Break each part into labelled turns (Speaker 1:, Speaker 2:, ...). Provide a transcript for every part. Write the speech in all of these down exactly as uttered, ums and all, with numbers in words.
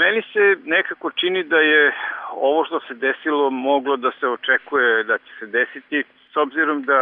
Speaker 1: Meni se nekako čini da je ovo što se desilo moglo da se očekuje da će se desiti, s obzirom da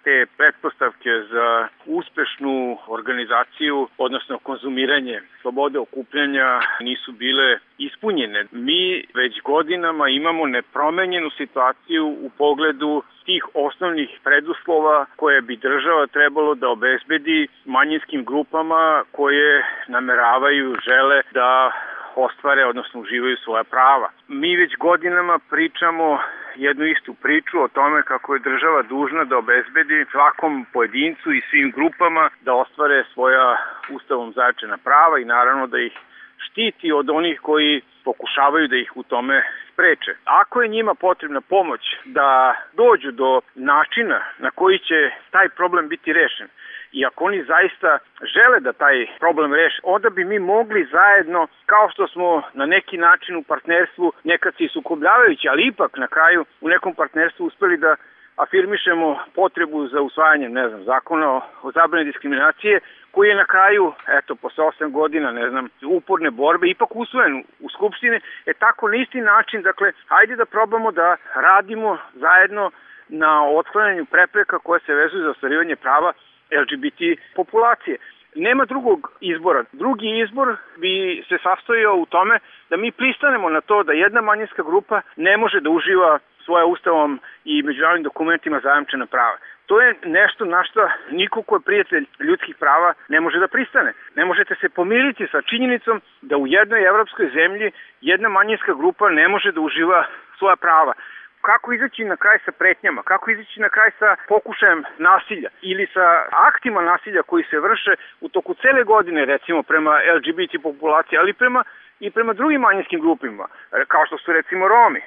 Speaker 1: te pretpostavke za uspešnu organizaciju, odnosno konzumiranje slobode okupljanja nisu bile ispunjene. Mi već godinama imamo nepromenjenu situaciju u pogledu tih osnovnih preduslova koje bi država trebalo da obezbedi manjinskim grupama koje nameravaju, žele da ostvare, odnosno uživaju svoja prava. Mi već godinama pričamo jednu istu priču o tome kako je država dužna da obezbedi svakom pojedincu i svim grupama da ostvare svoja ustavom zajamčena prava i naravno da ih štiti od onih koji pokušavaju da ih u tome spreče. Ako je njima potrebna pomoć da dođu do načina na koji će taj problem biti rešen, i ako oni zaista žele da taj problem reše, onda bi mi mogli zajedno, kao što smo na neki način u partnerstvu, nekad se i sukobljavajući, ali ipak na kraju u nekom partnerstvu uspeli da afirmišemo potrebu za usvajanjem, ne znam, zakona o, o zabrani diskriminacije, koji je na kraju, eto, posle osam godina, ne znam, uporne borbe, ipak usvojen u Skupštini, je tako na isti način, dakle, hajde da probamo da radimo zajedno na otklanjanju prepreka koje se vezuju za ostvarivanje prava L G B T populacije. Nema drugog izbora. Drugi izbor bi se sastojao u tome da mi pristanemo na to da jedna manjinska grupa ne može da uživa svoja ustavom i međunarodnim dokumentima zajamčena prava. To je nešto na što niko ko je prijatelj ljudskih prava ne može da pristane. Ne možete se pomiriti sa činjenicom da u jednoj evropskoj zemlji jedna manjinska grupa ne može da uživa svoja prava. Kako izaći na kraj sa pretnjama, kako izaći na kraj sa pokušajem nasilja ili sa aktima nasilja koji se vrše u toku cele godine, recimo prema L G B T populaciji, ali prema, i prema drugim manjinskim grupima, kao što su recimo Romi.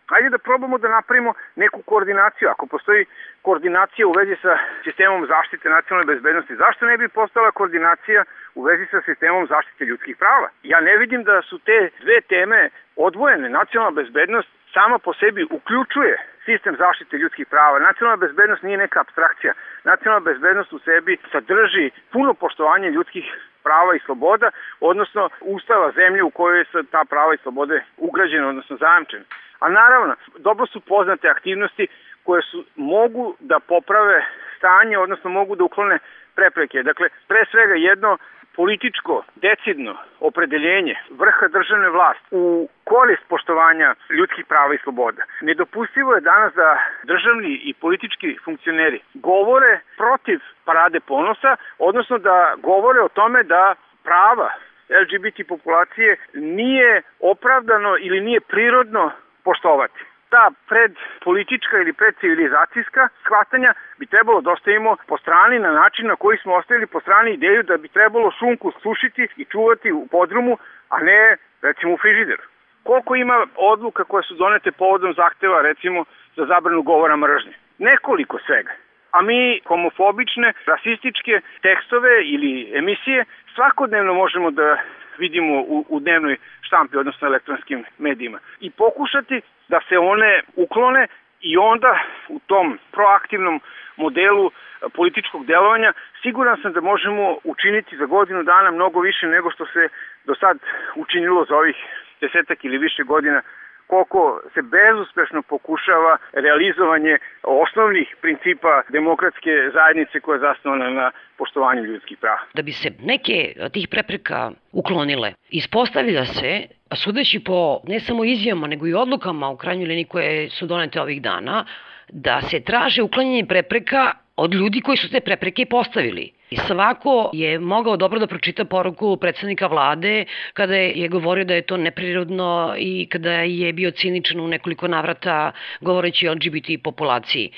Speaker 1: Hajde da probamo da napravimo neku koordinaciju. Ako postoji koordinacija u vezi sa sistemom zaštite nacionalne bezbednosti, zašto ne bi postala koordinacija u vezi sa sistemom zaštite ljudskih prava? Ja ne vidim da su te dve teme odvojene. Nacionalna bezbednost sama po sebi uključuje sistem zaštite ljudskih prava. Nacionalna bezbednost nije neka apstrakcija. Nacionalna bezbednost u sebi sadrži puno poštovanje ljudskih prava i sloboda, odnosno ustava zemlje u kojoj su ta prava i slobode ugrađene, odnosno zajamčene. A naravno, dobro su poznate aktivnosti koje su, mogu da poprave stanje, odnosno mogu da uklone prepreke. Dakle, pre svega jedno političko, decidno opredeljenje vrha državne vlasti u korist poštovanja ljudskih prava i sloboda. Nedopustivo je danas da državni i politički funkcioneri govore protiv parade ponosa, odnosno da govore o tome da prava L G B T populacije nije opravdano ili nije prirodno poštovati. Ta predpolitička ili predcivilizacijska shvatanja bi trebalo da ostavimo po strani na način na koji smo ostavili po strani ideju da bi trebalo šunku sušiti i čuvati u podrumu, a ne recimo u frižideru. Koliko ima odluka koje su donete povodom zahteva recimo za zabranu govora mržnje? Nekoliko svega. A mi homofobične, rasističke tekstove ili emisije svakodnevno možemo da vidimo u, u dnevnoj štampi, odnosno elektronskim medijima. I pokušati da se one uklone i onda u tom proaktivnom modelu političkog delovanja siguran sam da možemo učiniti za godinu dana mnogo više nego što se do sad učinilo za ovih desetak ili više godina, koliko se bezuspešno pokušava realizovanje osnovnih principa demokratske zajednice koja je zasnovana na poštovanju ljudskih prava.
Speaker 2: Da bi se neke od tih prepreka uklonile, ispostavlja se, sudeći po ne samo izjavama, nego i odlukama u krajnjoj liniji koje su donete ovih dana, da se traže uklanjanje prepreka od ljudi koji su te prepreke postavili. I svako je mogao dobro da pročita poruku predsednika vlade kada je govorio da je to neprirodno i kada je bio ciničan u nekoliko navrata govoreći o L G B T populaciji.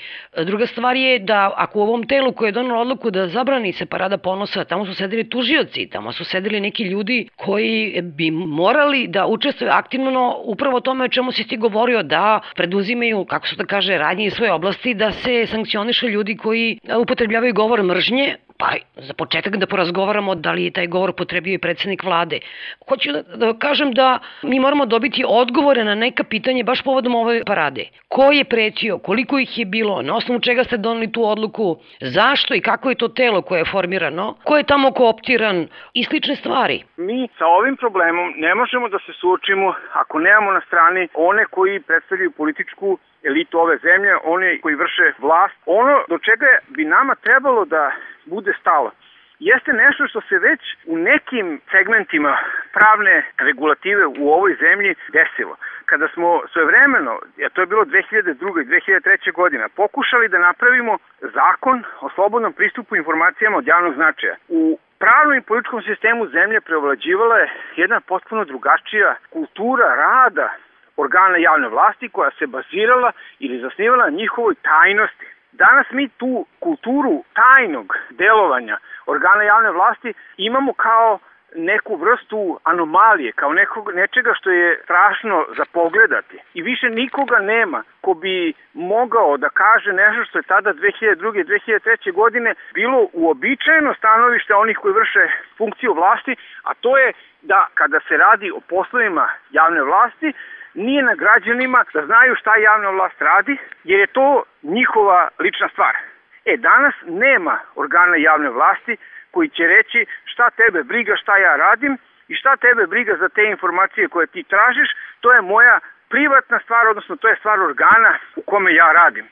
Speaker 2: Druga stvar je da ako u ovom telu koje je donalo odluku da zabrani se parada ponosa, tamo su sedeli tužioci, tamo su sedeli neki ljudi koji bi morali da učestvuju aktivno upravo o tome o čemu si ti govorio, da preduzimaju, kako se da kaže, radnje iz svoje oblasti, da se sankcionišu ljudi koji upotrebljavaju govor mržnje Pa za početak da porazgovaramo da li je taj govor potrebio i predsednik vlade. Hoću da, da kažem da mi moramo dobiti odgovore na neka pitanje baš povodom ove parade. Ko je pretio, koliko ih je bilo, na osnovu čega ste doneli tu odluku, zašto i kako je to telo koje je formirano, ko je tamo kooptiran i slične stvari.
Speaker 1: Mi sa ovim problemom ne možemo da se suočimo ako nemamo na strani one koji predstavljaju političku elitu ove zemlje, one koji vrše vlast. Ono do čega bi nama trebalo da bude stalo jeste nešto što se već u nekim segmentima pravne regulative u ovoj zemlji desilo. Kada smo svojevremeno, a to je bilo dve hiljade druge. i dve hiljade treće. godina, pokušali da napravimo zakon o slobodnom pristupu informacijama od javnog značaja. U pravnom i političkom sistemu zemlje preovlađivala je jedna potpuno drugačija kultura rada organa javne vlasti koja se bazirala ili zasnivala na njihovoj tajnosti. Danas mi tu kulturu tajnog delovanja organa javne vlasti imamo kao neku vrstu anomalije, kao nekog, nečega što je strašno za pogledati. I više nikoga nema ko bi mogao da kaže nešto što je tada dve hiljade druge. i dve hiljade treće. godine bilo uobičajeno stanovište onih koji vrše funkciju vlasti, a to je da kada se radi o poslovima javne vlasti, nije na građanima da znaju šta javna vlast radi, jer je to njihova lična stvar. E, danas nema organa javne vlasti koji će reći šta tebe briga šta ja radim i šta tebe briga za te informacije koje ti tražiš, to je moja privatna stvar, odnosno to je stvar organa u kome ja radim.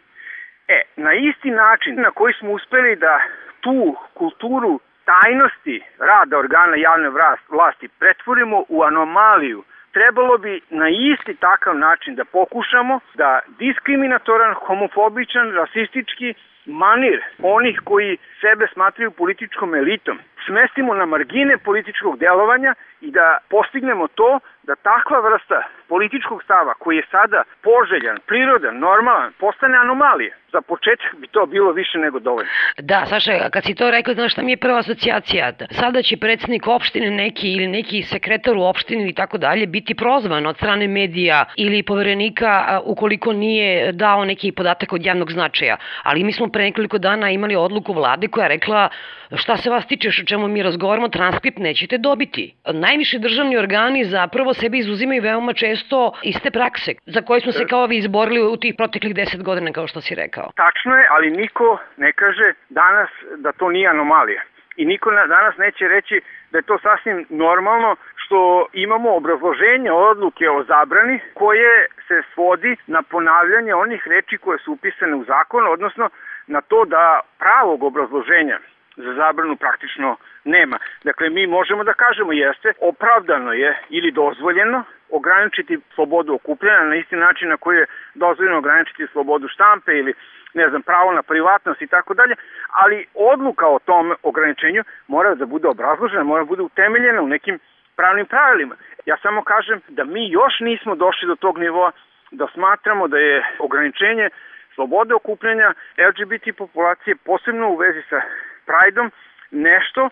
Speaker 1: E, na isti način na koji smo uspeli da tu kulturu tajnosti rada organa javne vlasti pretvorimo u anomaliju, trebalo bi na isti takav način da pokušamo da diskriminatoran, homofobičan, rasistički manir onih koji sebe smatraju političkom elitom smestimo na margine političkog delovanja i da postignemo to da takva vrsta političkog stava koji je sada poželjan, prirodan, normalan, postane anomalije. Za početak bi to bilo više nego dovoljno.
Speaker 2: Da, Saša, kad si to rekao, znaš šta mi je prva asocijacija? Sada će predsjednik opštine neki ili neki sekretar u opštini i tako dalje biti prozvan od strane medija ili poverenika ukoliko nije dao neki podatak od javnog značaja. Ali mi smo pre nekoliko dana imali odluku vlade koja je rekla šta se vas tiče o čemu mi razgovaramo, transkript nećete dobiti. Najviši državni organi zapravo sebi izuzimaju veoma često iste prakse za koje smo se kao vi izborili u tih proteklih deset godina, kao što si rekao.
Speaker 1: Tačno je, ali niko ne kaže danas da to nije anomalija. I niko danas neće reći da je to sasvim normalno što imamo obrazloženje odluke o zabrani koje se svodi na ponavljanje onih reči koje su upisane u zakon, odnosno na to da pravog obrazloženja za zabranu praktično nema. Dakle, mi možemo da kažemo jeste, opravdano je ili dozvoljeno ograničiti slobodu okupljanja na isti način na koji je dozvoljeno ograničiti slobodu štampe ili ne znam, pravo na privatnost i tako dalje, ali odluka o tom ograničenju mora da bude obrazložena, mora da bude utemeljena u nekim pravnim pravilima. Ja samo kažem da mi još nismo došli do tog nivoa da smatramo da je ograničenje slobode okupljanja L G B T populacije, posebno u vezi sa Prideom, nešto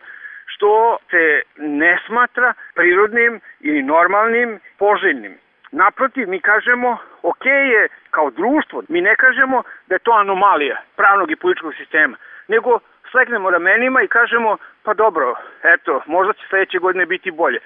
Speaker 1: što se ne smatra prirodnim ili normalnim, poželjnim. Naprotiv, mi kažemo, ok je kao društvo, mi ne kažemo da je to anomalija pravnog i političkog sistema, nego slegnemo ramenima i kažemo, pa dobro, eto, možda će sledeće godine biti bolje.